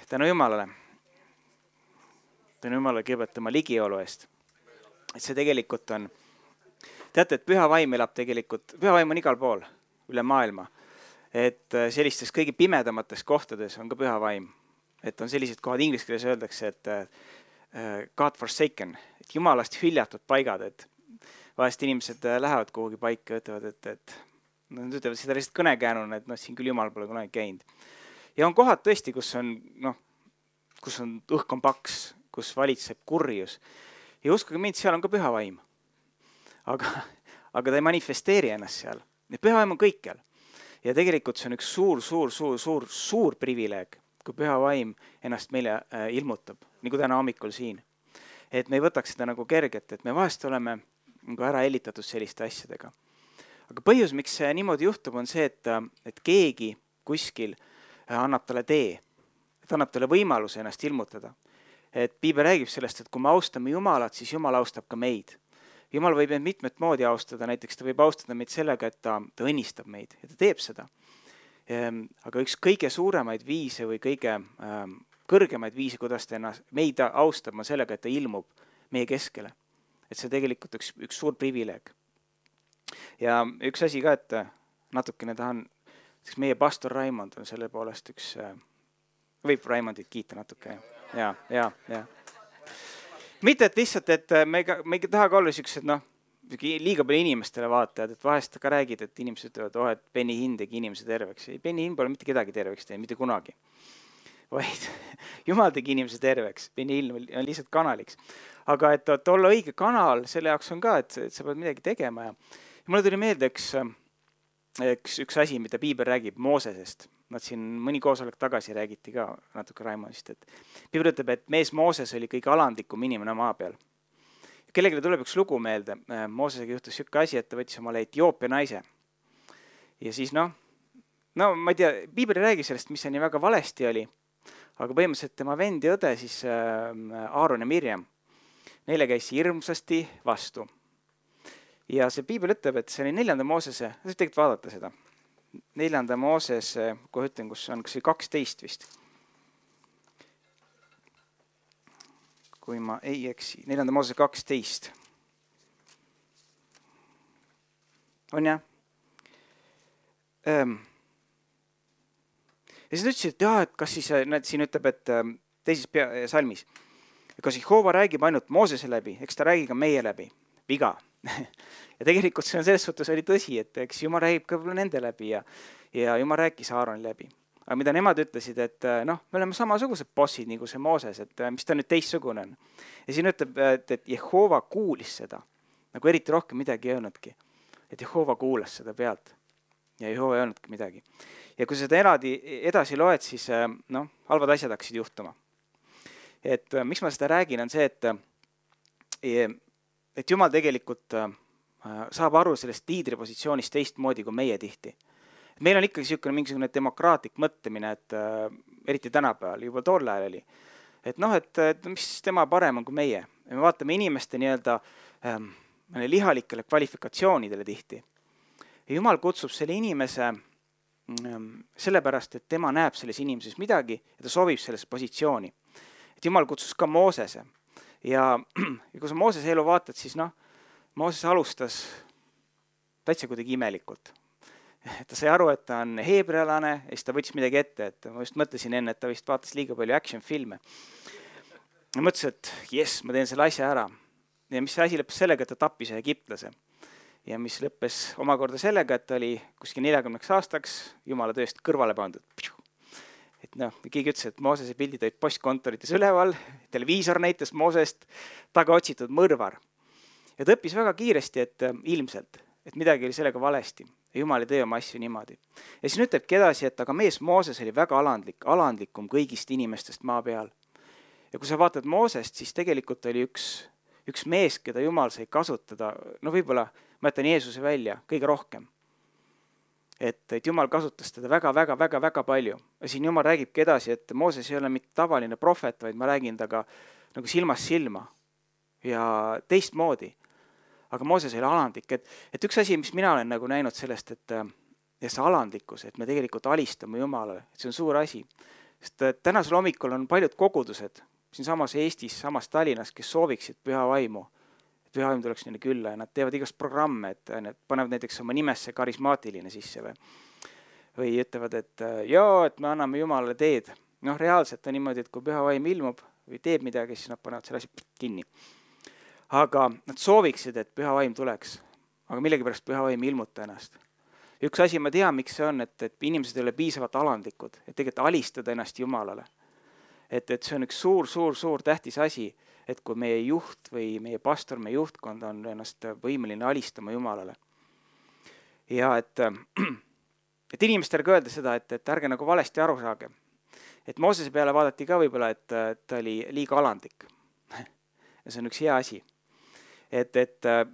tänu Jumalale. Tänu Jumalale kõigepealt tema ligiolu eest. Et see tegelikult on, teate, et püha vaim elab tegelikult, püha vaim on igal pool üle maailma. Et sellistes kõige pimedamates kohtades on ka püha vaim. Et on sellised kohad, inglise keeles öeldakse, et God forsaken, et Jumalast hüljatud paigad, et vahest inimesed lähevad kuhugi paika ja ütlevad, et nad ütlevad seda lihtsalt kõnekäänuna, et siin küll Jumal pole kunagi käinud. Ja on kohad tõesti, kus on õhk on paks, kus valitseb kurjus. Ja uskuge mind, seal on ka püha vaim. Aga ta ei manifesteeri ennast seal. Ja püha vaim on kõikjal. Ja tegelikult see on üks suur privileeg, kui püha vaim ennast meile ilmutab, nagu täna hommikul siin. Et me ei võtaks seda nagu kerget, et me vahest oleme nagu ära hellitatud selliste asjadega. Aga põhjus, miks see niimoodi juhtub, on see, et keegi kuskil annab talle tee, et annab talle võimaluse ennast ilmutada. Et Piibel räägib sellest, et kui me austame Jumalat, siis Jumal austab ka meid. Jumal võib meid mitmet moodi austada, näiteks ta võib austada meid sellega, et ta õnnistab meid ja ta teeb seda. Aga üks kõige suuremaid viise või kõige kõrgemaid viise, kuidas ta meid austab, on sellega, et ta ilmub meie keskele. Et see tegelikult üks suur privileeg. Ja üks asi ka, et natukene tahan, meie pastor Raimond on selle poolest üks, võib Raimondit kiita natuke. Ja. Mitte, et lihtsalt, et me ei taha ka olla siuksed, liiga palju inimestele vaatajad, et vahest ka räägid, et inimesed ütlevad, et Benny Hinn tegi inimese terveks. Ei, Benny Hinn pole mitte kedagi terveks teinud, mitte kunagi. Vaid Jumal tegi inimese terveks. Benny Hinn on lihtsalt kanaliks. Aga et olla õige kanal, selle jaoks on ka, et sa pead midagi tegema. Ja mulle tuli meelde üks asi, mida Piibel räägib Moosesest. Nad siin mõni koosolek tagasi räägiti ka natuke Raimondist, et Piibel ütleb, et mees Mooses oli kõige alandlikum inimene maa peal. Kellelegi tuleb üks lugu meelde. Moosesega juhtus siuke asi, et ta võttis omale Etioopia naise. Ja siis ma ei tea, Piibel ei räägi sellest, mis see nii väga valesti oli, aga põhimõtteliselt tema vend ja õde, siis Aaron ja Mirjam, neile käis hirmsasti vastu. Ja see Piibel ütleb, et see oli 4. Moosese, tegelikult vaadata seda. 4. Moosese, kohe ütlen, kus on, kas see 12 vist. Kui ma ei eksi, 4. Moosese 12. On jah? Ja siis ütlesid, et kas siis, siin ütleb, et teises salmis, kas Jehova räägib ainult Moosese läbi, eks ta räägi ka meie läbi. Viga. Ja tegelikult see on selles suhtes oli tõsi, et eks Jumal räägib ka nende läbi ja Jumal rääkis Aaroni läbi. Aga mida nemad ütlesid, et me oleme samasugused bossid nagu see Mooses, et mis ta nüüd teistsugune on. Ja siin ütleb, et Jehova kuulis seda, nagu eriti rohkem midagi ei öelnudki. Et Jehova kuulas seda pealt ja Jehova ei öelnudki midagi. Ja kui seda edasi loed, siis halvad asjad hakkasid juhtuma. Et miks ma seda räägin, on see, et Jumal tegelikult saab aru sellest liidripositsioonist teistmoodi kui meie tihti. Meil on ikkagi mingisugune demokraatlik mõtlemine, et eriti tänapäeval, juba tolle ajal oli. Et mis tema parem on kui meie. Me vaatame inimeste lihalikele kvalifikatsioonidele tihti. Ja Jumal kutsub selle inimese sellepärast, et tema näeb selles inimeses midagi ja ta soovib selles positsiooni. Et Jumal kutsus ka Moosese. Ja kui sa Moosese elu vaatad, siis Mooses alustas täitsa kuidagi imelikult. Ta sai aru, et ta on heebrealane ja siis ta võttis midagi ette. Et ma just mõtlesin enne, et ta vist vaatas liiga palju action-filme. Ja mõtlesin, et ma teen selle asja ära. Ja mis asi lõppes sellega, et ta tappis egiptlase. Ja mis lõppes omakorda sellega, et ta oli kuskil 40 aastaks Jumala tööst kõrvale pandud. Et keegi ütles, et Moosese pildid olid postkontorites üleval, televiisor näitas Moosest taga otsitud mõrvar. Ja ta õppis väga kiiresti, et ilmselt, et midagi oli sellega valesti. Ja Jumal ei tee oma asju niimoodi. Ja siis ütlebki edasi, et aga mees Mooses oli väga alandlikum kõigist inimestest maa peal. Ja kui sa vaatad Moosest, siis tegelikult oli üks mees, keda Jumal sai kasutada, võib-olla ma jätan Jeesuse välja kõige rohkem. Et Jumal kasutas teda väga palju. Ja siin Jumal räägibki edasi, et Mooses ei ole mitte tavaline prohvet, vaid ma räägin taga nagu silmast silma ja teistmoodi. Aga Mooses oli alandlik. Et üks asi, mis mina olen näinud sellest, et see alandlikkus, et me tegelikult alistame Jumalale, et see on suur asi. Sest tänasel hommikul on paljud kogudused siin samas Eestis, samas Tallinnas, kes sooviksid püha vaimu. Et püha vaim tuleks neile külla ja nad teevad igast programme, et need panevad näiteks oma nimesse karismaatiline sisse või ütlevad, et et me anname Jumalale teed. Noh, reaalselt on niimoodi, et kui püha vaim ilmub või teeb midagi, siis nad panevad selle asi kinni. Aga nad sooviksid, et püha vaim tuleks, aga millegipärast püha vaim ei ilmuta ennast. Üks asi ma tean, miks see on, et inimesed ei ole piisavalt alandlikud, et tegelikult alistada ennast Jumalale. Et see on üks suur tähtis asi, et kui meie juht või meie pastor, meie juhtkond on ennast võimeline alistama Jumalale. Ja et inimestele ka öelda seda, et ärge nagu valesti aru saage. Et Moosese peale vaadati ka võib-olla, et ta oli liiga alandlik. Ja see on üks hea asi. Et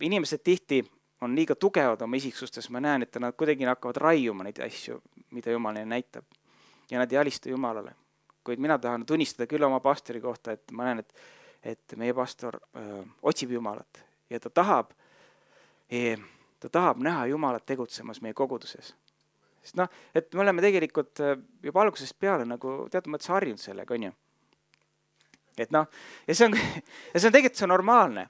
inimesed tihti on liiga tugevad oma isiksustes, ma näen, et nad kuidagi hakkavad raiuma neid asju, mida Jumal neile näitab. Ja nad ei alista Jumalale. Kuid mina tahan tunnistada küll oma pastori kohta, et ma näen, et meie pastor otsib Jumalat ja ta tahab näha Jumalat tegutsemas meie koguduses. Sest et me oleme tegelikult juba algusest peale nagu teatud mõttes harjunud sellega, on ju. Et ja see on tegelikult see on normaalne.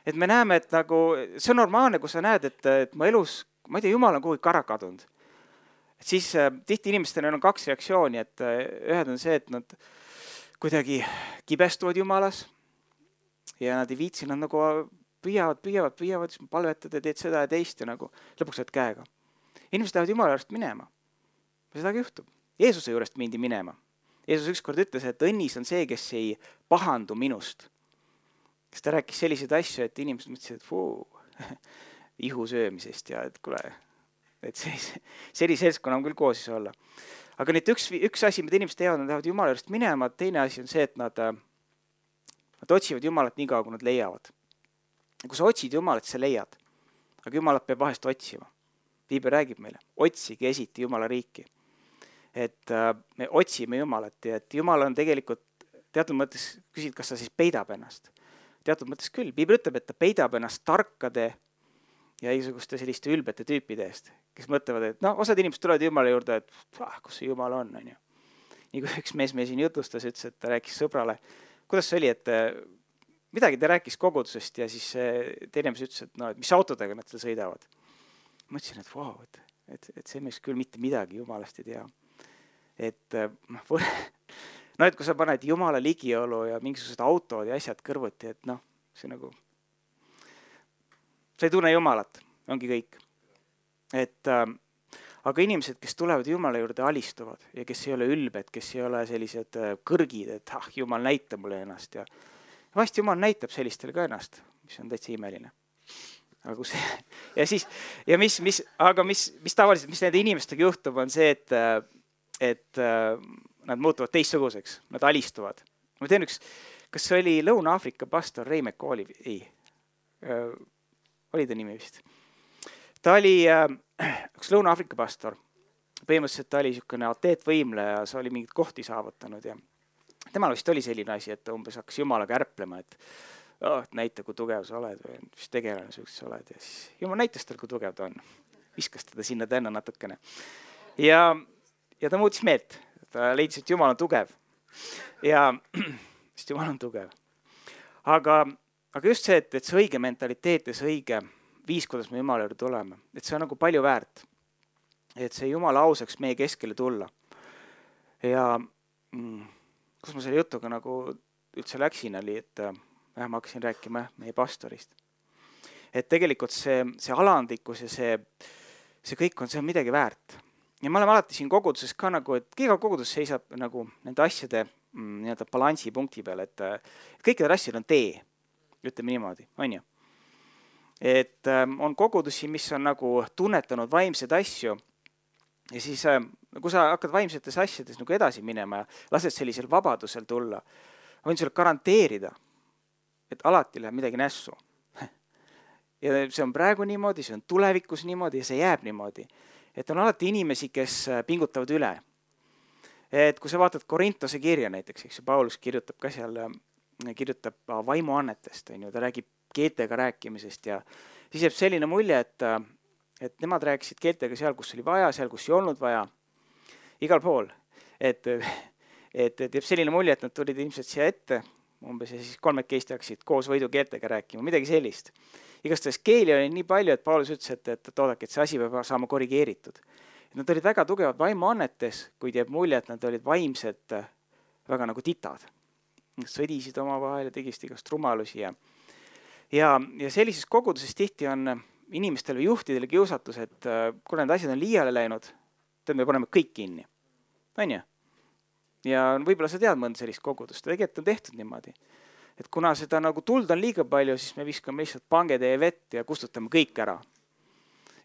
Et me näeme, et nagu see on normaalne, kui sa näed, et mu elus, ma ei tea, Jumal on kuhugi kara kadunud. Siis tihti inimestel on 2 reaktsiooni, et ühed on see, et nad kuidagi kibestuvad Jumalas ja nad ei viitsi, nad nagu püüavad, siis palvetad ja teed seda ja teist ja nagu lõpuks saad käega. Inimesed lähevad Jumala juurest minema. Sedagi juhtub. Jeesuse juurest mindi minema. Jeesus ükskord ütles, et õnnis on see, kes ei pahandu minust. Kes ta rääkis selliseid asju, et inimesed mõtlesid, et ihu söömisest ja et kuule, et selline seltskonna on küll koosis olla. Aga nüüd üks asi, mida inimesed teevad, nad lähevad Jumala juurest minema, teine asi on see, et nad otsivad Jumalat nii kaua, kui nad leiavad. Kui sa otsid Jumalat, sa leiad. Aga Jumalat peab vahest otsima. Piibel räägib meile, otsige esiti Jumala riiki. Et me otsime Jumalat ja et Jumal on tegelikult teatud mõttes küsid, kas ta siis peidab ennast. Teatud mõttes küll. Piibel ütleb, et ta peidab ennast tarkade ja igasuguste selliste ülbete tüüpide eest, kes mõtlevad, et osad inimesed tulevad Jumala juurde, et kus see Jumal on, on ju. Nii kui üks mees siin jutustas, ütles, et ta rääkis sõbrale, kuidas see oli, et midagi ta rääkis kogudusest ja siis teine mees ütles, et mis autodega nad sõidavad. Mõtlesin, et vau, et see mees küll mitte midagi Jumalast ei tea. Et kui sa paned Jumala ligiolu ja mingisugused autod ja asjad kõrvuti, et see nagu, sa ei tunne Jumalat, ongi kõik. Aga inimesed, kes tulevad Jumala juurde, alistuvad ja kes ei ole ülbed, kes ei ole sellised kõrgid, et Jumal näitab mulle ennast ja vahest Jumal näitab sellistele ka ennast, mis on täitsa imeline. Aga mis tavaliselt, mis nende inimestega juhtub, on see, et nad muutuvad teistsuguseks, nad alistuvad. Ma tean kas see oli Lõuna-Aafrika pastor Ray McCalli? Ei, oli ta nimi vist. Ta oli üks Lõuna-Aafrika pastor. Põhimõtteliselt ta oli niisugune ateetvõimleja, sa oli mingit kohti saavutanud ja temal vist oli selline asi, et umbes hakkas Jumalaga ärplema, et näita, kui tugev sa oled või mis tegelane sa oled. Ja siis Jumal näitas tal, kui tugev ta on. Viskas teda sinna tänna natukene. Ja ta muutis meelt. Ta leidis, et Jumal on tugev. Ja sest Jumal on tugev. Aga just see, et see õige mentaliteet ja see õige viis, kuidas me Jumala juurde tuleme, et see on nagu palju väärt. Et see Jumala ausaks meie keskele tulla. Ja kus ma selle jutuga nagu üldse läksin, oli, et ma hakkasin rääkima meie pastorist. Et tegelikult see alandlikkus ja see kõik on midagi väärt. Ja me oleme alati siin koguduses ka nagu, et iga kogudus seisab nagu nende asjade balansi punkti peal, et kõikidel asjadel on tee, ütleme niimoodi, on ju. Et on kogudusi, mis on nagu tunnetanud vaimseid asju ja siis kui sa hakkad vaimsetes asjades nagu edasi minema ja lased sellisel vabadusel tulla, võin sulle garanteerida, et alati läheb midagi nässu. Ja see on praegu niimoodi, see on tulevikus niimoodi ja see jääb niimoodi. Et on alati inimesi, kes pingutavad üle. Et kui sa vaatad Korintose kirja näiteks, eks Paulus kirjutab ka seal, kirjutab vaimuannetest, ta räägib keeltega rääkimisest ja siis jääb selline mulje, et nemad rääkisid keeltega seal, kus oli vaja, seal, kus ei olnud vaja, igal pool. et jääb selline mulje, et nad tulid ilmselt siia ette umbes ja siis kolmekesti hakkasid koos võidukeeltega rääkima, midagi sellist. Igastahes keeli oli nii palju, et Paulus ütles, et oodake, et see asi peab saama korrigeeritud. Nad olid väga tugevad vaimuannetes, kuid jääb mulje, et nad olid vaimselt väga nagu titad. Nad sõdisid omavahel ja tegisid igast rumalusi ja sellises koguduses tihti on inimestel või juhtidel kiusatus, et kui need asjad on liiale läinud, me paneme kõik kinni. On ju? Ja võib-olla sa tead mõnda sellist kogudust, tegelikult on tehtud niimoodi. Et kuna seda nagu tuld on liiga palju, siis me viskame lihtsalt pangetäie vett ja kustutame kõik ära.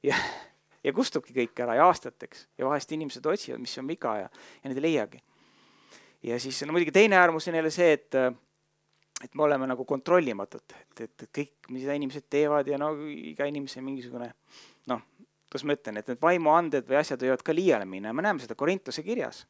Ja kustubki kõik ära ja aastateks. Ja vahest inimesed otsivad, mis on viga ja need ei leiagi. Ja siis no muidugi teine äärmus on jälle see, et me oleme nagu kontrollimatud. Et kõik, mida inimesed teevad ja no iga inimese mingisugune, noh, kuidas ma ütlen, et need vaimuanded või asjad võivad ka liiale minna. Me näeme seda Korintuse kirjas.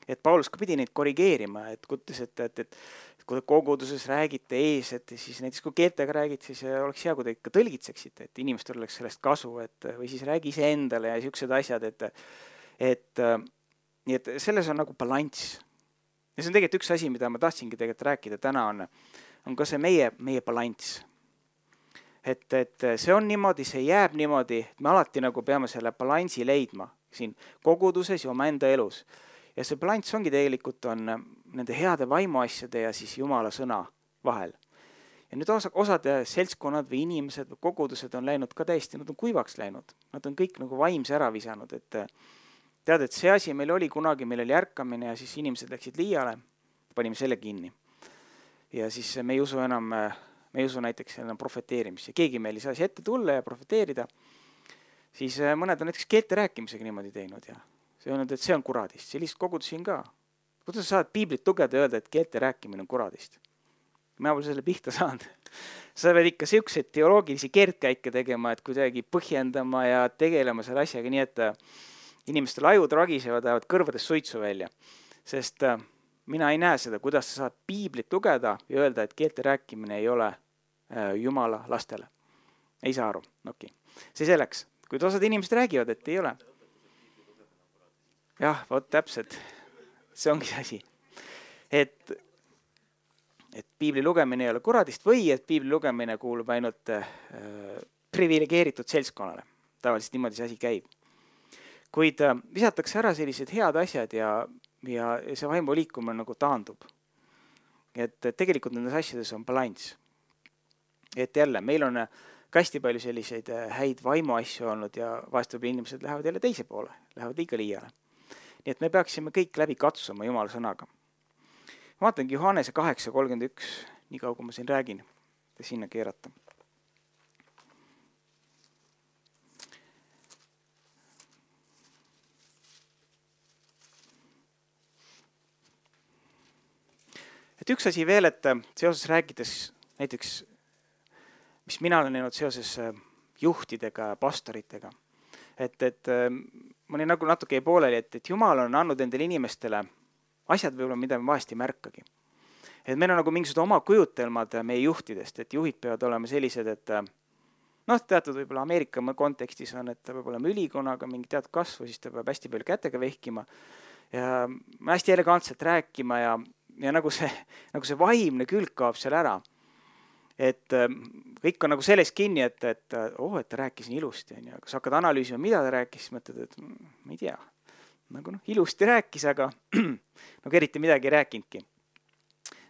Et Paulus ka pidi neid korrigeerima, et kuttis, et kui koguduses räägite ees, et siis näiteks kui keeltega räägid, siis oleks hea, kui te ikka tõlgitseksite, et inimestel oleks sellest kasu, või siis räägi ise endale ja siuksed asjad, nii et selles on nagu balanss. Ja see on tegelikult üks asi, mida ma tahtsingi tegelikult rääkida täna on ka see meie balanss. Et see on niimoodi, see jääb niimoodi, et me alati nagu peame selle balansi leidma siin koguduses ja oma enda elus. Ja see balanss ongi tegelikult on nende heade vaimuasjade ja siis Jumala sõna vahel. Ja nüüd osad seltskonnad või inimesed või kogudused on läinud ka täiesti, nad on kuivaks läinud. Nad on kõik nagu vaimse ära visanud, et tead, et see asi meil oli kunagi, meil oli ärkamine ja siis inimesed läksid liiale, panime selle kinni. Ja siis me ei usu enam, me ei usu näiteks enam profeteerimisse. Keegi meil ei saa ette tulla ja profeteerida. Siis mõned on näiteks keelte rääkimisega niimoodi teinud ja see on, et see on kuradist. Sellist kogudusin ka. Kuidas sa saad piiblit tugeda ja öelda, et keelte rääkimine on kuradist? Mina pole selle pihta saanud. Sa pead ikka siukseid teoloogilisi keerdkäike tegema, et kuidagi põhjendama ja tegelema selle asjaga nii, et inimestel ajud ragisevad, ajavad kõrvadest suitsu välja. Sest mina ei näe seda, kuidas sa saad piiblit lugeda ja öelda, et keelte rääkimine ei ole Jumala lastele. Ei saa aru. Okay. See selleks. Kuid osad inimesed räägivad, et ei ole. Jah, vot täpselt. See ongi see asi. Et piibli lugemine ei ole kuradist või et piibli lugemine kuulub ainult privilegeeritud seltskonnale. Tavaliselt niimoodi see asi käib. Kuid visatakse ära sellised head asjad ja see vaimu liikumine nagu taandub. Et tegelikult nendes asjades on balanss. Et jälle, meil on hästi palju selliseid häid vaimu asju olnud ja vahest võib inimesed lähevad jälle teise poole, lähevad liiga liiale. Nii et me peaksime kõik läbi katsuma Jumala sõnaga. Ma vaatangi Johannese 8:31, nii kaua kui ma siin räägin, ja sinna keerata. Et üks asi veel, et seoses rääkides näiteks, mis mina olen näinud seoses juhtidega ja pastoritega, et ma olin nagu natuke pooleli, et Jumal on andnud endale inimestele asjad võib-olla, mida me vahest ei märkagi. Et meil on nagu mingisugused oma kujutelmad meie juhtidest, et juhid peavad olema sellised, et teatud võib-olla Ameerika kontekstis on, et ta peab olema ülikonaga mingi teatud kasvu, siis ta peab hästi palju kätega vehkima ja hästi elegantselt rääkima ja nagu see vaimne külg kaob seal ära. Et kõik on nagu selles kinni, et ta rääkis nii ilusti. Ja kui sa hakkad analüüsima, mida ta rääkis, siis mõtled, et ma ei tea. Nagu ilusti rääkis, aga eriti midagi ei rääkinudki.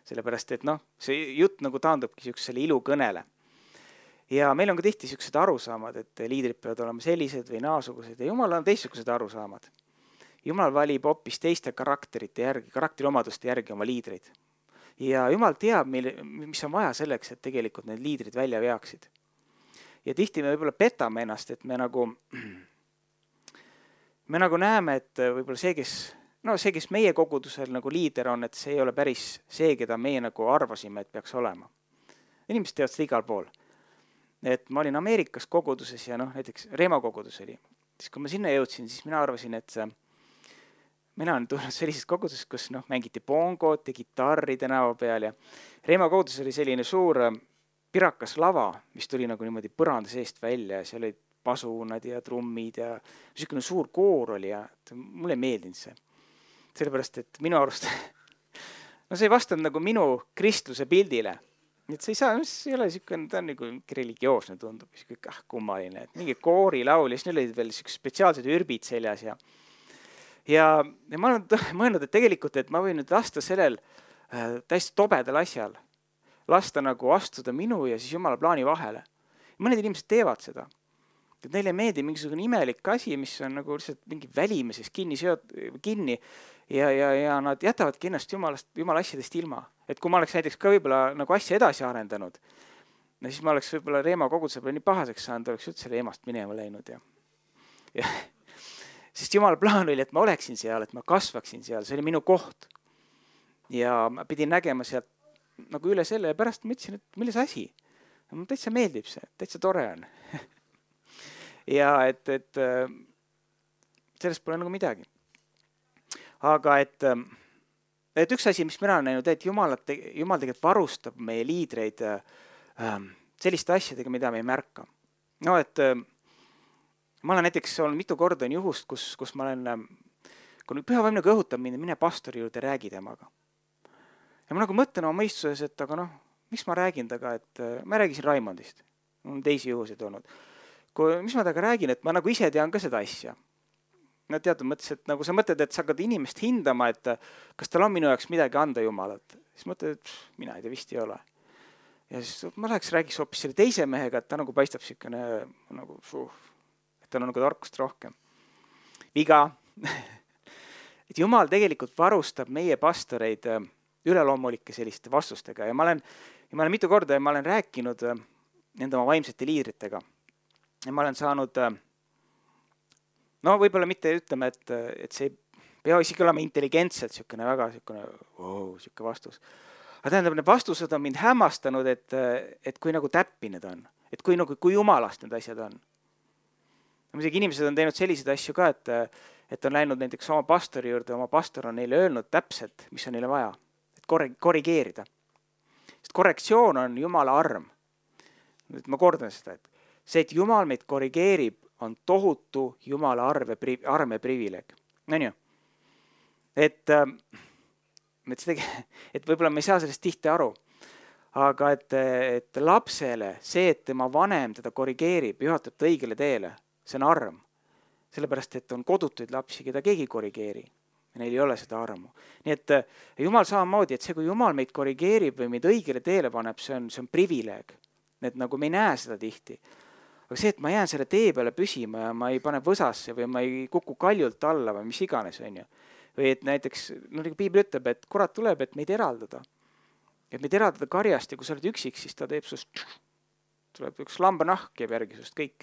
Sellepärast, et see jutt nagu taandubki siuksele ilukõnele. Ja meil on ka tihti siuksed arusaamad, et liidrid peavad olema sellised või naasugused ja Jumal on teistsugused arusaamad. Jumal valib hoopis teiste karakteriomaduste järgi oma liidreid. Ja Jumal teab, mis on vaja selleks, et tegelikult need liidrid välja veaksid. Ja tihti me võib-olla petame ennast, et me nagu näeme, et võib-olla see, kes meie kogudusel nagu liider on, et see ei ole päris see, keda meie nagu arvasime, et peaks olema. Inimesed teevad seda igal pool. Et ma olin Ameerikas koguduses ja näiteks Reema kogudus oli. Siis kui ma sinna jõudsin, siis mina arvasin, et mina olen tulnud sellises koguduses, kus mängiti bongot ja kitarri tänava peal ja Reema kogudus oli selline suur pirakas lava, mis tuli nagu niimoodi põranda seest välja ja seal olid pasunad ja trummid ja niisugune suur koor oli ja mulle ei meeldinud see. sellepärast, et minu arust no see ei vastanud nagu minu kristluse pildile. Et see ei saa, see ei ole siukene, ta on nagu religioosne tundub, kummaline, et mingi koorilaul ja siis neil olid veel spetsiaalsed ürbid seljas ja ma olen mõelnud, et tegelikult, et ma võin nüüd lasta sellel täiesti tobedal asjal, lasta nagu astuda minu ja siis Jumala plaani vahele. Mõned inimesed teevad seda. Et neile ei meeldi mingisugune imelik asi, mis on nagu lihtsalt mingi välimises kinni ja nad jätavadki ennast Jumala asjadest ilma. Et kui ma oleks näiteks ka võib-olla nagu asja edasi arendanud, siis ma oleks võib-olla Reema koguduse peale nii pahaseks saanud, oleks üldse Reemast minema läinud. Sest Jumala plaan oli, et ma oleksin seal, et ma kasvaksin seal, see oli minu koht. Ja ma pidin nägema sealt nagu üle selle ja pärast mõtlesin, et milles asi? Mulle täitsa meeldib see, täitsa tore on. Ja et sellest pole nagu midagi. Aga et üks asi, mis mina olen näinud, et Jumal tegelikult varustab meie liidreid selliste asjadega, mida me ei märka. No et ma olen näiteks olnud mitu korda on juhust, kus ma olen, kui püha vaim nagu õhutab mind, mine pastori juurde, räägi temaga. Ja ma nagu mõtlen oma mõistuses, et aga miks ma räägin taga, et ma räägisin Raimondist. On teisi juhuseid olnud. Mis ma taga räägin, et ma nagu ise tean ka seda asja. No teatud mõttes, et nagu sa mõtled, et sa hakkad inimest hindama, et kas tal on minu jaoks midagi anda Jumalat. Siis mõtled, et mina ei tea, vist ei ole. Ja siis ma räägiks hoopis selle teise mehega, et ta nagu paistab siukene, nagu, et tal on nagu tarkust rohkem. Viga. Et Jumal tegelikult varustab meie pastoreid üleloomulike selliste vastustega ja ma olen mitu korda ja ma olen rääkinud nende oma vaimsete liidritega. Ja ma olen saanud, no võib-olla mitte ütleme, et see pea isegi olema intelligentselt siukene väga siukene siuke vastus. Aga tähendab, need vastused on mind hämmastanud, et kui nagu täppi need on, et kui jumalast need asjad on. Muidugi inimesed on teinud selliseid asju ka, et on läinud näiteks oma pastori juurde, oma pastor on neile öelnud täpselt, mis on neile vaja, et korrigeerida. Sest korrektsioon on Jumala arm. Nüüd ma kordan seda, et see, et Jumal meid korrigeerib, on tohutu Jumala arm ja privileeg. No nii. Et võib-olla me ei saa sellest tihti aru, aga et lapsele see, et tema vanem teda korrigeerib, juhatab ta õigele teele, see on arm. Sellepärast, et on kodutuid lapsi, keda keegi korrigeeri. Ja neil ei ole seda armu. Nii et Jumal samamoodi, et see, kui Jumal meid korrigeerib või meid õigele teele paneb, see on privileeg. Et nagu me ei näe seda tihti. Aga see, et ma jään selle tee peale püsima ja ma ei pane võsasse või ma ei kuku kaljult alla või mis iganes on ju. Või et näiteks, nagu Piibel ütleb, et kurat tuleb, et meid eraldada. Et meid eraldada karjast ja kui sa oled üksik, siis ta teeb sust, tuleb üks lambanahk ja järgi sust kõik,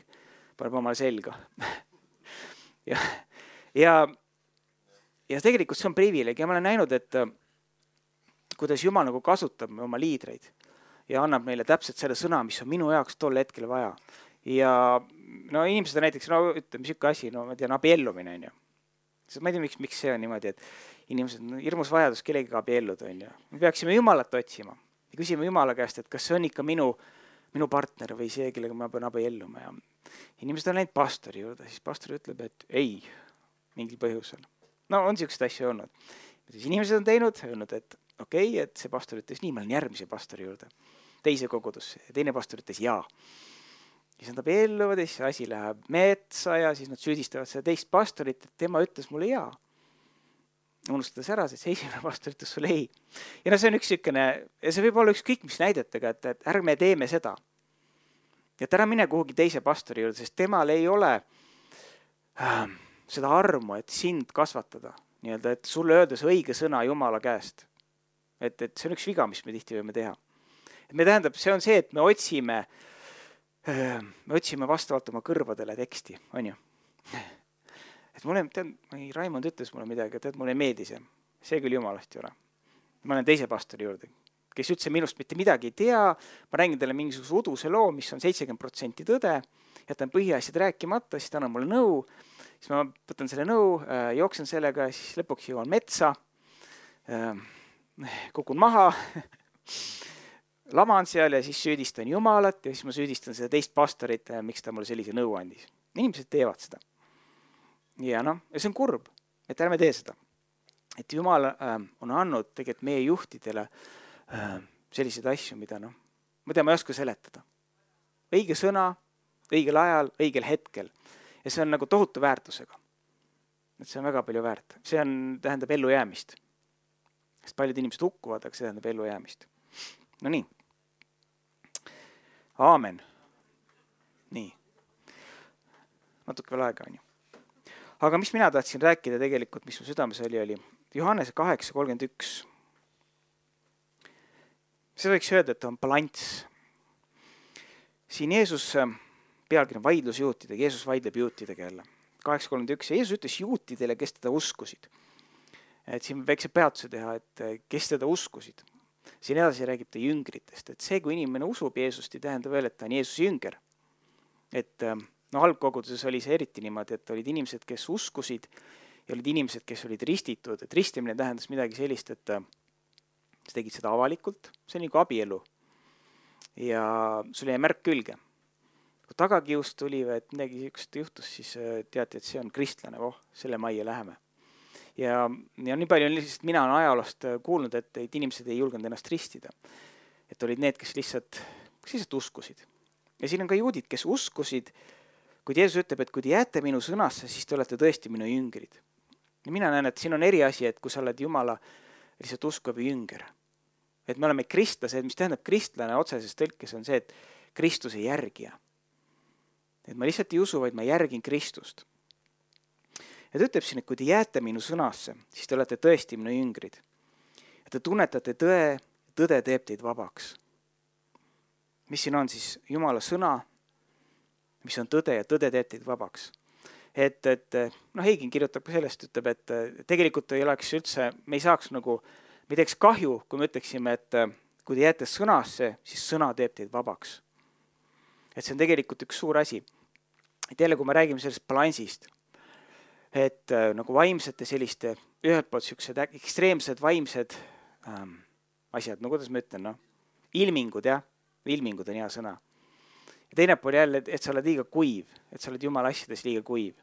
paneb omale selga. ja tegelikult see on privileeg ja ma olen näinud, et kuidas Jumal nagu kasutab oma liidreid ja annab meile täpselt selle sõna, mis on minu jaoks tol hetkel vaja. Ja no inimesed on näiteks, ütleme siuke asi, ma tean, abiellumine on ju. Ma ei tea, miks see on niimoodi, et inimesed on hirmus vajadus kellegiga abielluda on ju. Me peaksime Jumalat otsima ja küsime Jumala käest, et kas see on ikka minu partner või see, kellega ma pean abielluma. Ja inimesed on läinud pastori juurde, siis pastor ütleb, et ei, mingil põhjusel. No on siukseid asju olnud. Siis inimesed on öelnud, et okei, et see pastor ütles nii, ma olen järgmise pastori juurde, teise kogudusse ja teine pastor ütles jaa. Siis nad abielluvad ja siis asi läheb metsa ja siis nad süüdistavad seda teist pastorit, et tema ütles mulle jaa. Unustades ära, et see esimene pastor ütles sulle ei. Ja see on üks sükene, ja see võib olla ükskõik mis näidetega, et ärme teeme seda. Ja ära mine kuhugi teise pastori juurde, sest temal ei ole seda armu, et sind kasvatada. Nii-öelda, et sulle öeldes õige sõna Jumala käest. Et see on üks viga, mis me tihti võime teha. Et me tähendab, see on see, et me otsime vastavalt oma kõrvadele teksti, on ju. Et mulle, Raimond ütles mulle midagi, et mulle ei meeldi see. See küll Jumalast ei ole. Ma olen teise pastori juurde, kes üldse minust mitte midagi ei tea. Ma räägin talle mingisuguse uduse loo, mis on 70% tõde. Jätan põhiasjad rääkimata, siis ta annab mulle nõu. Siis ma võtan selle nõu, jooksen sellega, siis lõpuks jõuan metsa, kukun maha, laman seal ja siis süüdistan Jumalat ja siis ma süüdistan seda teist pastorit, miks ta mulle sellise nõu andis. Inimesed teevad seda. Ja see on kurb, et ärme tee seda. et Jumal on andnud tegelikult meie juhtidele selliseid asju, mida ma ei oska seletada. Õige sõna, õigel ajal, õigel hetkel. Ja see on nagu tohutu väärtusega. Et see on väga palju väärt. See tähendab ellujäämist. Sest paljud inimesed hukkuvad, aga see tähendab ellujäämist. No nii. Aamen. Nii. Natuke veel aega on ju. Aga mis mina tahtsin rääkida tegelikult, mis mu südames oli Johannese 8:31. See võiks öelda, et on balanss. Siin Jeesus pealkiri on vaidlus juutidega, Jeesus vaidleb juutidega jälle. 8:31 ja Jeesus ütles juutidele, kes teda uskusid. Et siin väikse peatuse teha, et kes teda uskusid. Siin edasi räägib ta jüngritest, et see, kui inimene usub Jeesust, ei tähenda veel, et ta on Jeesuse jünger. Et algkoguduses oli see eriti niimoodi, et olid inimesed, kes uskusid ja olid inimesed, kes olid ristitud. Et ristimine tähendas midagi sellist, et sa tegid seda avalikult, see on nagu abielu. Ja sul jäi märk külge. Kui tagakiust tuli või et midagi niisugust juhtus, siis teati, et see on kristlane, selle majja läheme. Ja nii palju on lihtsalt, mina olen ajaloost kuulnud, et inimesed ei julgenud ennast ristida. Et olid need, kes lihtsalt uskusid. Ja siin on ka juudid, kes uskusid, kui Jeesus ütleb, et kui te jääte minu sõnasse, siis te olete tõesti minu jüngrid. Ja mina näen, et siin on eri asi, et kui sa oled Jumala lihtsalt uskuv jünger. Et me oleme kristlased, mis tähendab kristlane otseses tõlkes on see, et Kristuse järgija. Et ma lihtsalt ei usu, vaid ma järgin Kristust. Ja ta ütleb siin, et kui te jääte minu sõnasse, siis te olete tõesti minu jüngrid. Ja te tunnetate tõe, tõde teeb teid vabaks. Mis siin on siis Jumala sõna, mis on tõde ja tõde teeb teid vabaks. Et Heigin kirjutab ka sellest, ütleb, et tegelikult ei oleks üldse, me ei saaks nagu, me teeks kahju, kui me ütleksime, et kui te jääte sõnasse, siis sõna teeb teid vabaks. Et see on tegelikult üks suur asi. Et jälle, kui me räägime sellest balansist, et nagu vaimsete selliste, ühelt poolt sellised ekstreemsed vaimsed asjad, no kuidas ma ütlen, ilmingud, jah, ilmingud on hea sõna. Ja teine pool jälle, et sa oled liiga kuiv, et sa oled Jumala asjades liiga kuiv.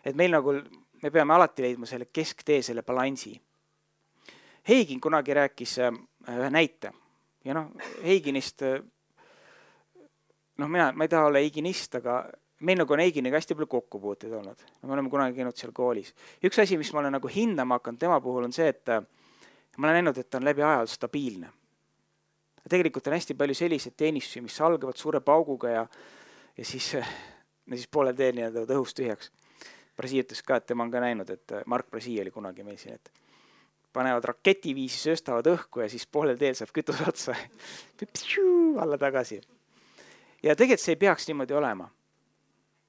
Et meil nagu, me peame alati leidma selle kesktee, selle balansi. Heigin kunagi rääkis ühe näite ja Heiginist, ma ei taha olla heiginist, aga meil nagu on Heiginiga hästi palju kokkupuuteid olnud. Me oleme kunagi käinud seal koolis. Üks asi, mis ma olen nagu hindama hakanud tema puhul on see, et ma olen näinud, et ta on läbi ajal stabiilne. Ja tegelikult on hästi palju selliseid teenistusi, mis algavad suure pauguga ja siis poolel teel nii-öelda õhust tühjaks. Brasi ütles ka, et tema on ka näinud, et Mark Brasi oli kunagi meil siin, et panevad raketiviisi, sööstavad õhku ja siis poolel teel saab kütus otsa. Alla tagasi. Ja tegelikult see ei peaks niimoodi olema.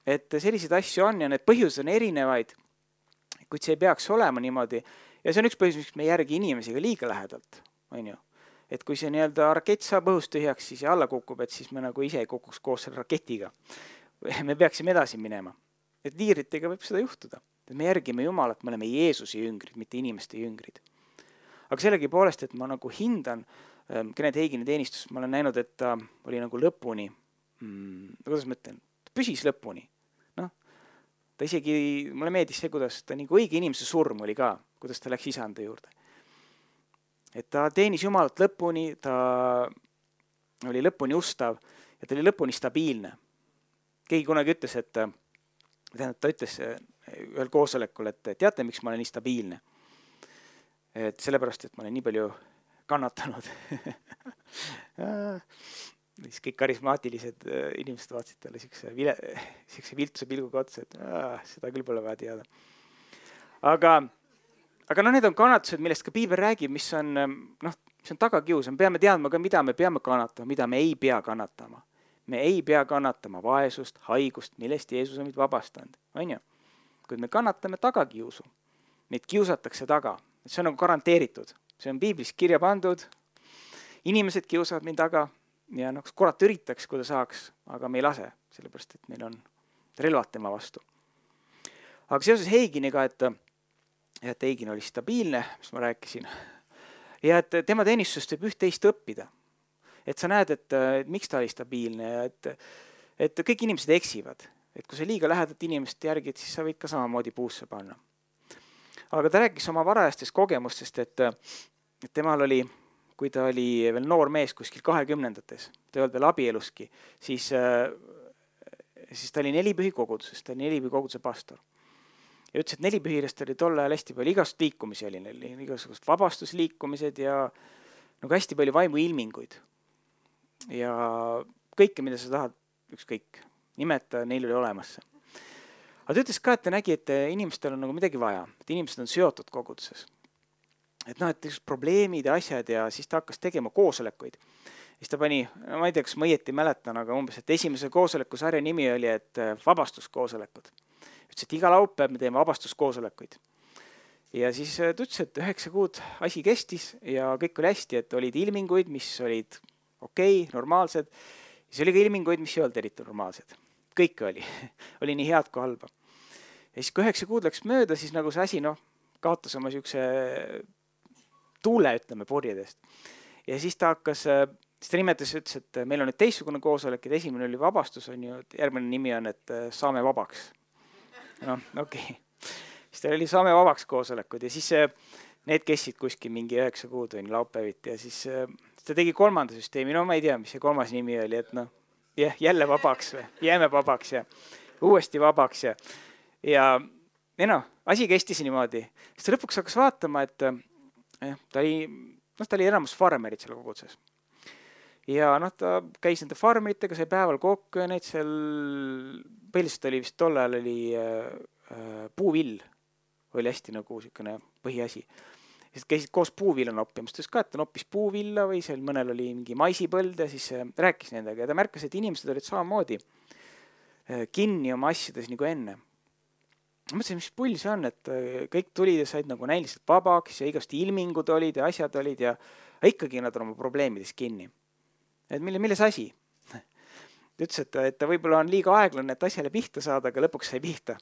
Et selliseid asju on ja need põhjused on erinevaid, kuid see ei peaks olema niimoodi. Ja see on üks põhjus, miks me järgi inimesiga liiga lähedalt. On ju? Et kui see nii-öelda rakett saab õhust tühjaks siis ja alla kukub, et siis me nagu ise ei kukuks koos selle raketiga. Me peaksime edasi minema. Et liiritega võib seda juhtuda. Et me järgime Jumalat, me oleme Jeesuse jüngrid, mitte inimeste jüngrid. Aga sellegi poolest, et ma nagu hindan Kenneth Heigini teenistus, ma olen näinud, et ta oli nagu lõpuni, kuidas ma ütlen, püsis lõpuni. Ta isegi, mulle meeldis see, kuidas ta nagu õige inimese surm oli ka, kuidas ta läks isanda juurde. Et ta teenis Jumalat lõpuni, ta oli lõpuni ustav ja ta oli lõpuni stabiilne. Keegi kunagi ütles, et ta ütles ühel koosolekul, et teate, miks ma olen nii stabiilne? Et sellepärast, et ma olen nii palju kannatanud. Siis kõik karismaatilised inimesed vaatsid talle siukse viltuse pilguga otsa, et seda küll pole vaja teada. Aga need on kannatused, millest ka Piibel räägib, mis on tagakius. Me peame teadma ka, mida me peame kannatama, mida me ei pea kannatama. Me ei pea kannatama vaesust, haigust, millest Jeesus on meid vabastanud. On ju? Kuid me kannatame tagakiusu. Meid kiusatakse taga. See on nagu garanteeritud. See on Piiblis kirja pandud. Inimesed kiusavad mind taga. Ja kurat üritaks, kui ta saaks, aga me ei lase, sellepärast, et meil on relvad tema vastu. Aga seoses Heiginiga, et Heigin oli stabiilne, mis ma rääkisin, ja et tema teenistusest võib üht-teist õppida. Et sa näed, et miks ta oli stabiilne ja et kõik inimesed eksivad. Et kui sa liiga lähedalt inimest järgid, siis sa võid ka samamoodi puusse panna. Aga ta rääkis oma varajastest kogemustest, et temal oli, kui ta oli veel noor mees kuskil 20-ndates, ta ei olnud veel abieluski, siis ta oli Nelipühi koguduses, ta oli Nelipühi koguduse pastor. Ja ütles, et Nelipühirest oli tol ajal hästi palju igast liikumisi oli, igasugust vabastusliikumised ja nagu hästi palju vaimuilminguid. Ja kõike, mida sa tahad, ükskõik nimeta, neil oli olemas. Aga ta ütles ka, et ta nägi, et inimestel on nagu midagi vaja, et inimesed on seotud koguduses. Et et probleemid ja asjad ja siis ta hakkas tegema koosolekuid. Siis ta pani, ma ei tea, kas ma õieti mäletan, aga umbes, et esimese koosoleku sarja nimi oli, et vabastuskoosolekud. Ütles, et iga laupäev me teeme vabastuskoosolekuid. Ja siis ta ütles, et 9 kuud asi kestis ja kõik oli hästi, et olid ilminguid, mis olid okei, normaalsed. Ja see oli ka ilminguid, mis ei olnud eriti normaalsed. Kõik oli. Oli nii head kui halba. Ja siis kui 9 kuud läks mööda, siis nagu see asi kaotas oma siukse tuule, ütleme, purjedest. Ja siis ta hakkas, siis ta nimetas, ütles, et meil on nüüd teistsugune koosolek, et esimene oli vabastus, on ju, järgmine nimi on, et saame vabaks. Okei. Siis ta oli saame vabaks koosolekud ja siis need kestsid kuskil mingi 9 kuud või laupäeviti ja siis ta tegi 3. süsteemi, ma ei tea, mis see 3. nimi oli, et jälle vabaks või, jääme vabaks ja uuesti vabaks ja asi kestis niimoodi. Siis ta lõpuks hakkas vaatama, et ta oli enamus farmerid seal koguduses. Ja ta käis nende farmeritega, sai päeval kokku ja neid seal, põhiliselt oli vist tol ajal oli puuvill, oli hästi nagu siukene põhiasi. Siis käisid koos puuvilla noppimas, ta ütles ka, et ta noppis puuvilla või seal mõnel oli mingi maisipõld ja siis rääkis nendega ja ta märkas, et inimesed olid samamoodi kinni oma asjades nagu enne. Ma mõtlesin, mis pull see on, et kõik tulid ja said nagu näiliselt vabaks ja igast ilmingud olid ja asjad olid ja ikkagi nad on oma probleemides kinni. Et milles asi? Ta ütles, et ta võib-olla on liiga aeglane, et asjale pihta saada, aga lõpuks sai pihta.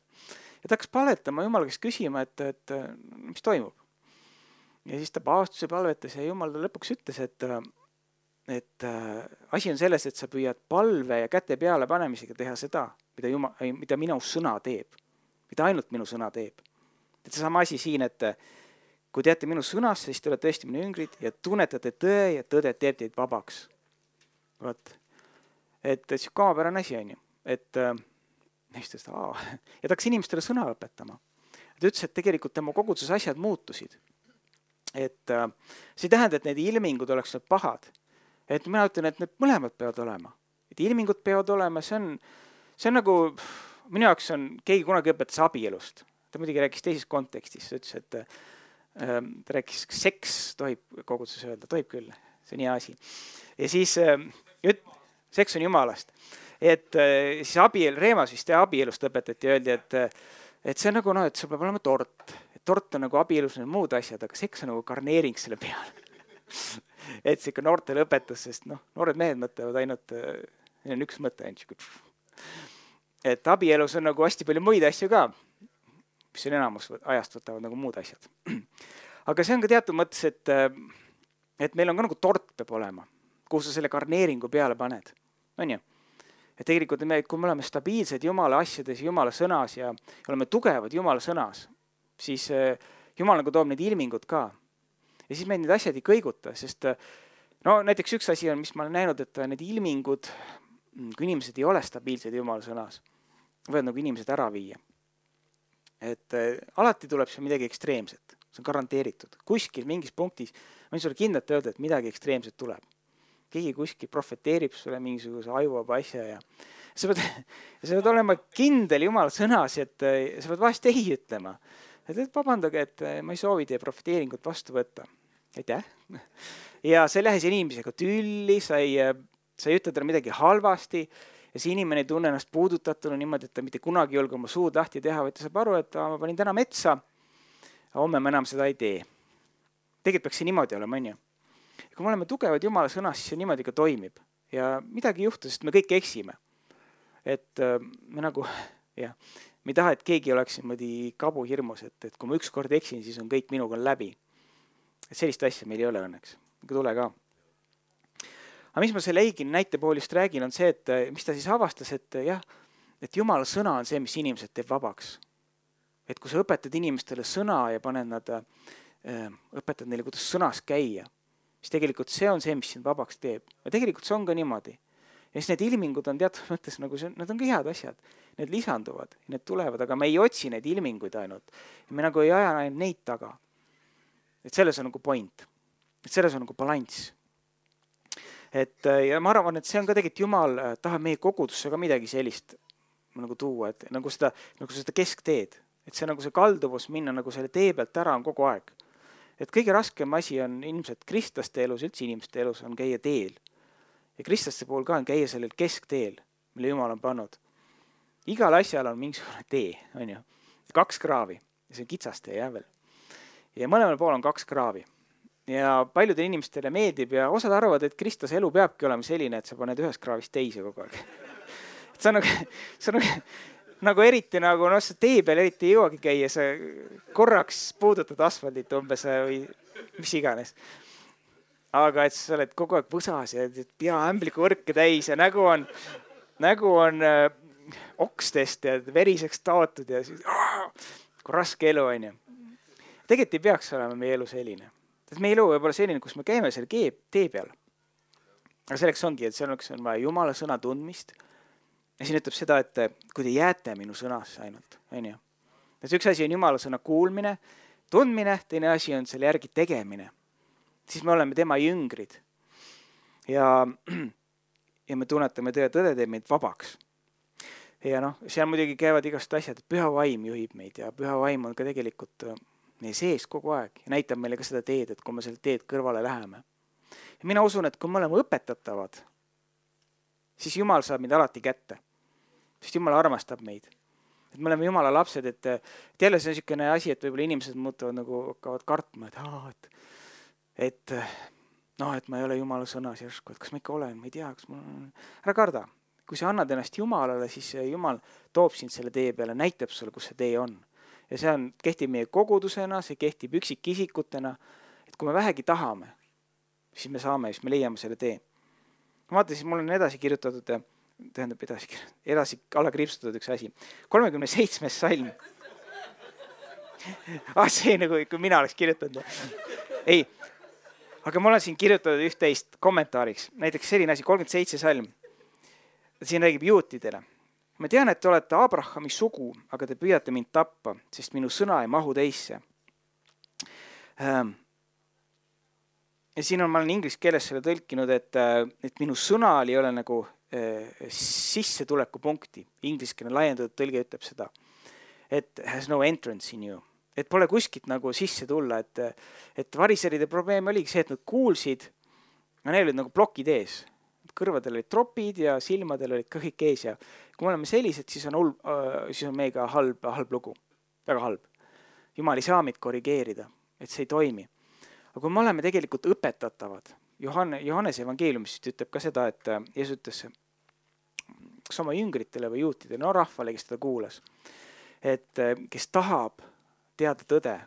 Ja ta hakkas palvetama Jumala käest küsima, et mis toimub. Ja siis ta paastus ja palvetas ja Jumal lõpuks ütles, et asi on selles, et sa püüad palve ja käte peale panemisega teha seda, mida minu sõna teeb. Mida ainult minu sõna teeb. Et see sama asi siin, et kui teate minu sõnasse, siis te olete tõesti minu jüngrid ja tunnetate tõe ja tõde teeb teid vabaks. Vaat. Et see kamapärane asi on ju. Et ja ta hakkas inimestele sõna õpetama. Ta ütles, et tegelikult tema koguduses asjad muutusid. Et see ei tähenda, et need ilmingud oleks pahad. Et mina ütlen, et need mõlemad peavad olema. Et ilmingud peavad olema, see on nagu, minu jaoks on, keegi kunagi õpetas abielust. Ta muidugi rääkis teises kontekstis. Ta ütles, et ta rääkis, seks tohib koguduses öelda, tohib küll, see on hea asi. Ja siis seks on Jumalast. Et siis Reemas vist abielust õpetati ja öeldi, et see on nagu, et sul peab olema tort. Tort on nagu abielus need muud asjad, aga seks on nagu karneering selle peale. Et see ikka noortele õpetas, sest noored mehed mõtlevad ainult, neil on üks mõte ainult. Et abielus on nagu hästi palju muid asju ka, mis on enamus ajast võtavad nagu muud asjad. Aga see on ka teatud mõttes, et meil on ka nagu tort peab olema, kuhu sa selle karneeringu peale paned. On ju? Et tegelikult kui me oleme stabiilsed Jumala asjades, Jumala sõnas ja oleme tugevad Jumala sõnas, siis Jumal nagu toob need ilmingud ka. Ja siis meid need asjad ei kõiguta, sest näiteks üks asi on, mis ma olen näinud, et need ilmingud, kui inimesed ei ole stabiilsed Jumala sõnas, võivad nagu inimesed ära viia. Et alati tuleb seal midagi ekstreemset, see on garanteeritud. Kuskil mingis punktis, ma võin sulle kindlalt öelda, et midagi ekstreemset tuleb. Keegi kuskil profeteerib sulle mingisuguse ajuvaba asja ja sa pead olema kindel Jumala sõnas, et sa pead vahest ei ütlema. Et vabandage, et ma ei soovi teie profeteeringut vastu võtta. Aitäh. Ja sa ei lähe siin inimesega tülli, sa ei ütle talle midagi halvasti ja see inimene ei tunne ennast puudutatuna niimoodi, et ta mitte kunagi julge oma suud lahti teha, vaid ta saab aru, et ma panin täna metsa, aga homme ma enam seda ei tee. Tegelikult peaks see niimoodi olema, on ju. Ja kui me oleme tugevad Jumala sõnas, siis see niimoodi ka toimib. Ja midagi ei juhtu, sest me kõik eksime. Et me nagu, me ei taha, et keegi oleks niimoodi kabuhirmus, et kui ma ükskord eksin, siis on kõik minuga läbi. Et sellist asja meil ei ole õnneks. Ega tule ka. Aga mis ma selle Eigini näitepoolist räägin, on see, et mis ta siis avastas, et Jumala sõna on see, mis inimesed teeb vabaks. et kui sa õpetad inimestele sõna ja õpetad neile, kuidas sõnas käia, siis tegelikult see on see, mis sind vabaks teeb. Ja tegelikult see on ka niimoodi. Ja siis need ilmingud on teatud mõttes nagu need on ka head asjad. Need lisanduvad, need tulevad, aga me ei otsi neid ilminguid ainult. Ja me nagu ei aja ainult neid taga. Et selles on nagu point. Et selles on nagu balanss. Ja ma arvan, et see on ka tegelikult Jumal tahab meie kogudusse ka midagi sellist nagu tuua, et nagu seda keskteed. Et see nagu see kalduvus minna nagu selle tee pealt ära on kogu aeg. Et kõige raskem asi on ilmselt kristlaste elus, üldse inimeste elus on käia teel. Ja kristlaste puhul ka on käia sellel keskteel, mille Jumal on pannud. Igal asjal on mingisugune tee, on ju. 2 kraavi ja see on kitsastee veel. Ja mõlemal pool on 2 kraavi. Ja paljudele inimestele meeldib ja osad arvavad, et kristlase elu peabki olema selline, et sa paned ühest kraavist teise kogu aeg. Et see on nagu eriti nagu, see tee peal eriti ei jõuagi käia, sa korraks puudutad asfaldit umbes või mis iganes. Aga et sa oled kogu aeg võsas ja pea ämbliku võrke täis ja nägu on okstest ja veriseks taotud ja siis kui raske elu on ju. Tegelikult ei peaks olema meie elu selline. Meie elu võib olla selline, kus me käime selle tee peal. Aga selleks ongi, et selleks on vaja Jumala sõna tundmist. Ja siin ütleb seda, et kui te jääte minu sõnasse ainult, on ju. Et üks asi on Jumala sõna kuulmine, tundmine, teine asi on selle järgi tegemine. Siis me oleme tema jüngrid. Ja me tunnetame tõde teeb meid vabaks. Ja seal muidugi käivad igast asjad, et püha vaim juhib meid ja püha vaim on ka tegelikult meie sees kogu aeg ja näitab meile ka seda teed, et kui me selle teed kõrvale läheme. Ja mina usun, et kui me oleme õpetatavad, siis Jumal saab meid alati kätte. Sest Jumal armastab meid. Et me oleme Jumala lapsed, et jälle see on niisugune asi, et võib-olla inimesed muutuvad nagu hakkavad kartma, et ma ei ole Jumala sõnas järsku, et kas ma ikka olen, ma ei tea, kas mul on. Ära karda. Kui sa annad ennast Jumalale, siis Jumal toob sind selle tee peale, näitab sulle, kus see tee on. Ja see kehtib meie kogudusena, see kehtib üksikisikutena, et kui me vähegi tahame, siis me saame, siis me leiame selle tee. Vaata, siis mul on edasi kirjutatud, edasi alla kriipsutatud üks asi. 37. salm. See nagu, kui mina oleks kirjutanud. Ei, aga mul on siin kirjutatud üht-teist kommentaariks. Näiteks selline asi, 37. salm. Siin räägib juutidele. Ma tean, et te olete Abrahami sugu, aga te püüate mind tappa, sest minu sõna ei mahu teisse. Ja siin ma olen inglise keeles selle tõlkinud, et minu sõnal ei ole nagu sissetuleku punkti. Ingliskeelne laiendatud tõlge ütleb seda. Et has no entrance in you. Et pole kuskilt nagu sisse tulla. Et variseride probleem oligi see, et nad kuulsid, aga neil olid nagu plokid ees. Kõrvadel olid tropid ja silmadel olid kõik ees ja kui me oleme sellised, siis on meiega halb lugu. Väga halb. Jumal ei saa meid korrigeerida, et see ei toimi. Aga kui me oleme tegelikult õpetatavad, Johannese evangeeliumist ütleb ka seda, et Jeesus ütles kas oma jüngritele või juutidele, rahvale, kes teda kuulas, et kes tahab teada tõde,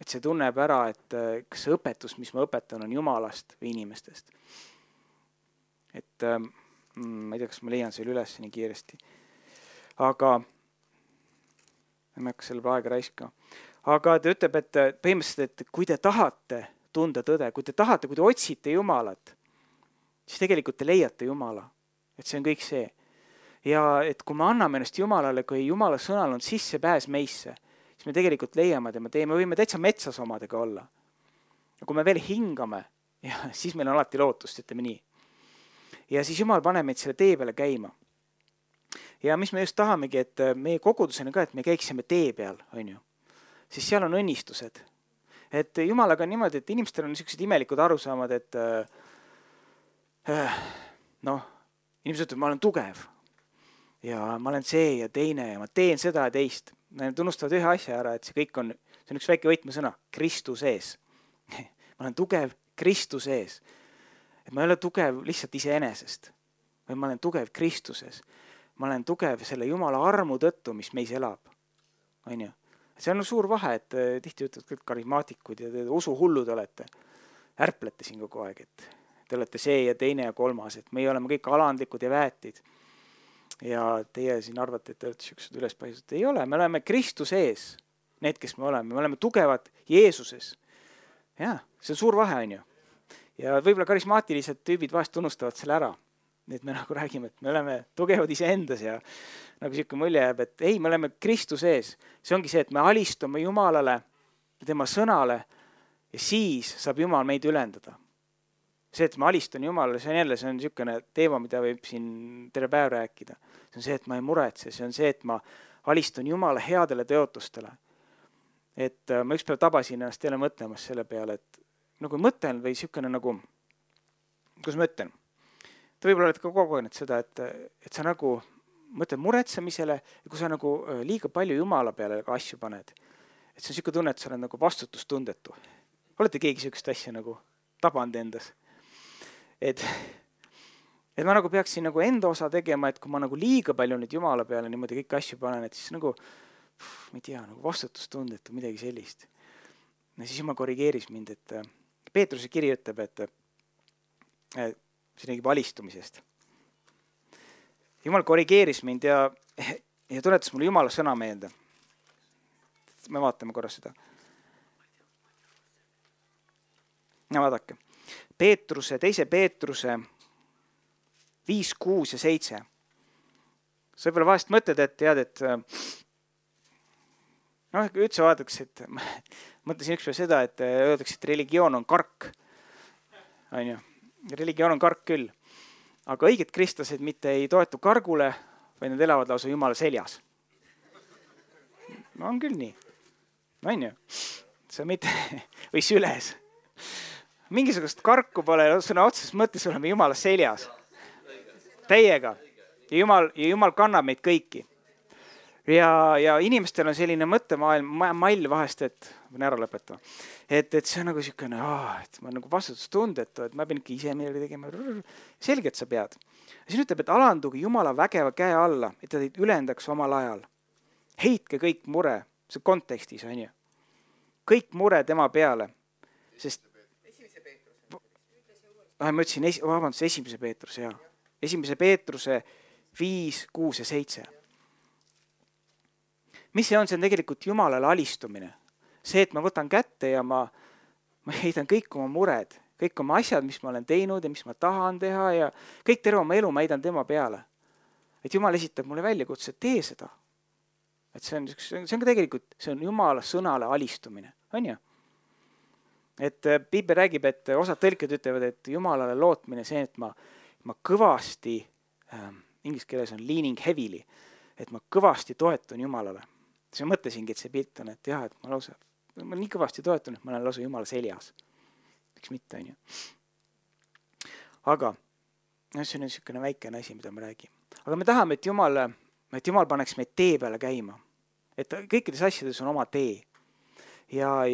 et see tunneb ära, et kas see õpetus, mis ma õpetan, on Jumalast või inimestest. Et ma ei tea, kas ma leian selle üles nii kiiresti. Aga ma ei hakka selle aega raiska. Aga ta ütleb, et põhimõtteliselt, et kui te tahate tunda tõde, kui te otsite Jumalat, siis tegelikult te leiate Jumala. Et see on kõik see. Ja et kui me anname ennast Jumalale, kui Jumala sõnal on sissepääs meisse, siis me tegelikult leiame tema tee. Me võime täitsa metsas omadega olla. Ja kui me veel hingame, siis meil on alati lootust, ütleme nii. Ja siis Jumal paneb meid selle tee peale käima. Ja mis me just tahamegi, et meie kogudusena ka, et me käiksime tee peal, on ju. Siis seal on õnnistused. Et Jumalaga on niimoodi, et inimestel on niisugused imelikud arusaamad, et inimesed ütlevad, ma olen tugev. Ja ma olen see ja teine ja ma teen seda ja teist. Nad tunnustavad ühe asja ära, et see kõik on üks väike võtmesõna, Kristus ees. Ma olen tugev Kristus ees. Et ma ei ole tugev lihtsalt iseenesest, või ma olen tugev Kristuses. Ma olen tugev selle Jumala armu tõttu, mis meis elab. On ju? See on suur vahe, et tihti ütlevad kõik karismaatikud ja te usuhullud olete. Ärplete siin kogu aeg, et te olete see ja teine ja kolmas, et meie oleme kõik alandlikud ja väetid. ja teie siin arvate, et te olete siuksed ülespaistud. ei ole, me oleme Kristuse ees, need, kes me oleme tugevad Jeesuses. Ja, see on suur vahe, on ju. Ja võib-olla karismaatilised tüübid vahest unustavad selle ära. Nii et me nagu räägime, et me oleme tugevad iseendas ja nagu siuke mulje jääb, et ei, me oleme Kristuse ees. See ongi see, et me alistume Jumalale, tema sõnale ja siis saab Jumal meid ülendada. See, et ma alistun Jumalale, see on niisugune teema, mida võib siin terve päev rääkida. See on see, et ma ei muretse, see on see, et ma alistun Jumala headele tõotustele. Et ma üks päev tabasin ennast jälle mõtlemas selle peale, et nagu mõtlen või niisugune nagu, kus ma ütlen, te võib-olla olete ka kogenud seda, et sa nagu mõtled muretsemisele ja kui sa nagu liiga palju Jumala peale asju paned, et see on niisugune tunne, et sa oled nagu vastutustundetu. Olete keegi niisugust asja nagu tabanud endas? Et ma nagu peaksin nagu enda osa tegema, et kui ma nagu liiga palju nüüd Jumala peale niimoodi kõik asju panen, et siis nagu, ma ei tea, nagu vastutustundetu, midagi sellist. Ja siis Jumal korrigeeris mind, et Peetruse kiri ütleb, et see räägib alistumisest. Jumal korrigeeris mind ja tuletas mulle Jumala sõna meelde. Me vaatame korra seda. Ja vaadake. Teise Peetruse 5, 6 ja 7. Sa võib-olla vahest mõtled, et tead, et üldse vaadaks, et mõtlesin ükspäev seda, et öeldakse, et religioon on kark. On ju? Religioon on kark küll. Aga õiged kristlased mitte ei toetu kargule, vaid nad elavad lausa Jumala seljas. No on küll nii. On ju? See mitte, või süles. Mingisugust karku pole, sõna otseses mõttes oleme Jumala seljas. Täiega. Ja Jumal kannab meid kõiki. Ja inimestel on selline mõttemall vahest, et võin ära lõpetama. Et see on nagu niisugune, et ma nagu vastutustundetu, et ma pean ikka ise midagi tegema. Selge, et sa pead. Ja siin ütleb, et alanduge Jumala vägeva käe alla, et ta teid ülendaks omal ajal. Heitke kõik mure, see kontekstis on ju. Kõik mure tema peale. Sest ma ütlesin, esimese Peetruse, jaa. Esimese Peetruse 5, 6 ja 7. Mis see on? See on tegelikult Jumalale alistumine. See, et ma võtan kätte ja ma heidan kõik oma mured, kõik oma asjad, mis ma olen teinud ja mis ma tahan teha ja kõik terve oma elu ma heidan tema peale. Et Jumal esitab mulle väljakutse, et tee seda. Et see on ka tegelikult, see on Jumala sõnale alistumine. On ju? Et Piibel räägib, et osad tõlked ütlevad, et Jumalale lootmine see, et ma kõvasti, inglise keeles on leaning heavily, et ma kõvasti toetun Jumalale. Siis ma mõtlesingi, et see pilt on, et jah, et ma nii kõvasti toetun, et ma olen lausa Jumala seljas. Miks mitte, on ju. Aga see on niisugune väikene asi, mida me räägime. Aga me tahame, et Jumal paneks meid tee peale käima. Et kõikides asjades on oma tee. Ja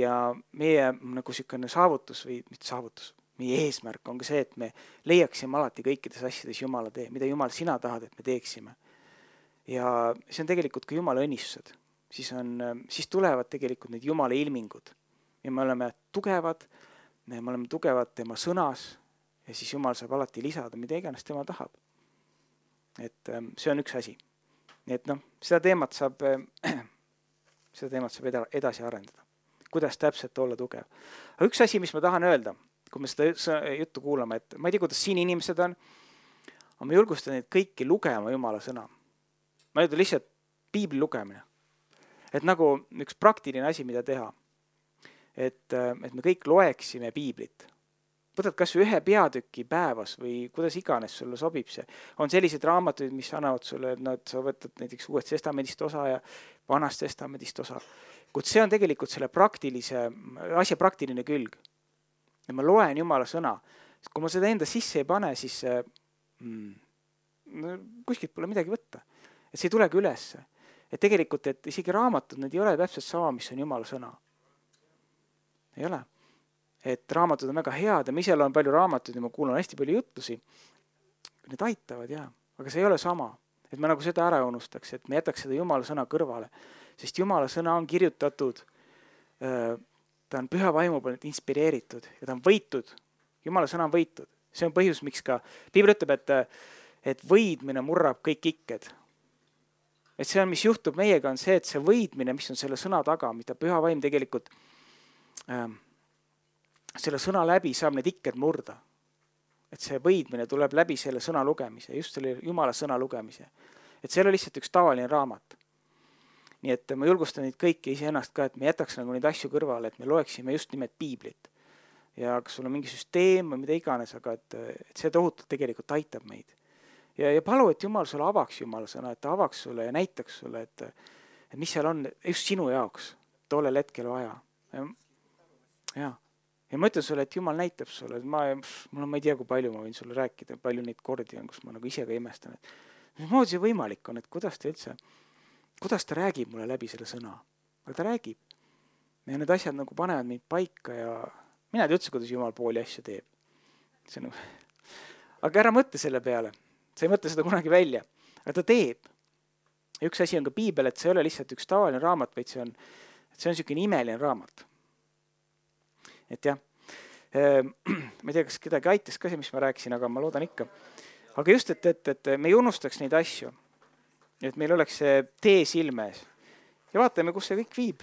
meie nagu niisugune saavutus või mitte saavutus, meie eesmärk on ka see, et me leiaksime alati kõikides asjades Jumala tee, mida Jumal sina tahad, et me teeksime. Ja see on tegelikult ka Jumala õnnistused. Siis tulevad tegelikult need Jumala ilmingud. Ja me oleme tugevad tema sõnas ja siis Jumal saab alati lisada, mida iganes tema tahab. Et see on üks asi. Nii et seda teemat saab edasi arendada. Kuidas täpselt olla tugev. Aga üks asi, mis ma tahan öelda, kui me seda juttu kuulame, et ma ei tea, kuidas siin inimesed on, aga ma julgustan neid kõiki lugema Jumala sõna. Ma ei tea lihtsalt piibli lugemine. Et nagu üks praktiline asi, mida teha. Et me kõik loeksime piiblit. Võtad kas ühe peatüki päevas või kuidas iganes sulle sobib see. On sellised raamatuid, mis annavad sulle, et sa võtad näiteks Uuest Testamendist osa ja Vanast Testamendist osa. Kuid see on tegelikult selle asja praktiline külg. Ja ma loen Jumala sõna. Kui ma seda enda sisse ei pane, siis kuskilt pole midagi võtta. Et see ei tulegi ülesse. Et tegelikult, et isegi raamatud, need ei ole täpselt sama, mis on Jumala sõna. Ei ole. Et raamatud on väga head ja ma ise loen palju raamatuid ja ma kuulan hästi palju jutlusi. Need aitavad, jah. Aga see ei ole sama. Et ma nagu seda ära unustaks, et me jätaks seda Jumala sõna kõrvale. Sest Jumala sõna on kirjutatud, ta on püha vaimu poolt inspireeritud ja ta on võitud. Jumala sõna on võitud. See on põhjus, miks ka Piibel ütleb, et võidmine murrab kõik ikked. Et see on, mis juhtub meiega, on see, et see võidmine, mis on selle sõna taga, mida Püha Vaim tegelikult selle sõna läbi saab need ikked murda. Et see võidmine tuleb läbi selle sõna lugemise, just selle Jumala sõna lugemise. Et see ei ole lihtsalt üks tavaline raamat. Nii et ma julgustan neid kõiki iseennast ka, et me jätaks nagu neid asju kõrvale, et me loeksime just nimelt piiblit. Ja kas sul on mingi süsteem või mida iganes, aga et see tohutult tegelikult aitab meid. Ja palu, et Jumal sulle avaks Jumala sõna, et ta avaks sulle ja näitaks sulle, et mis seal on just sinu jaoks tollel hetkel vaja. Ja ma ütlen sulle, et Jumal näitab sulle, et ma ei tea, kui palju ma võin sulle rääkida, palju neid kordi on, kus ma nagu ise ka imestan, et mismoodi see võimalik on, et kuidas ta räägib mulle läbi selle sõna. Aga ta räägib. Ja need asjad nagu panevad meid paika ja mina ei tea üldse, kuidas Jumal pooli asju teeb. Aga ära mõtle selle peale. Sa ei mõtle seda kunagi välja. Aga ta teeb. Ja üks asi on ka piibel, et see ei ole lihtsalt üks tavaline raamat, vaid see on selline imeline raamat. Et jah, ma ei tea, kas kedagi aitas ka see, mis ma rääkisin, aga ma loodan ikka. Aga just, et me ei unustaks neid asju. Et meil oleks see tee silme ees. Ja vaatame, kus see kõik viib.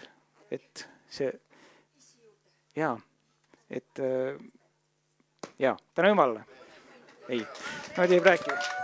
Et see, täna Jumalale. Ei, ma ei rääkida.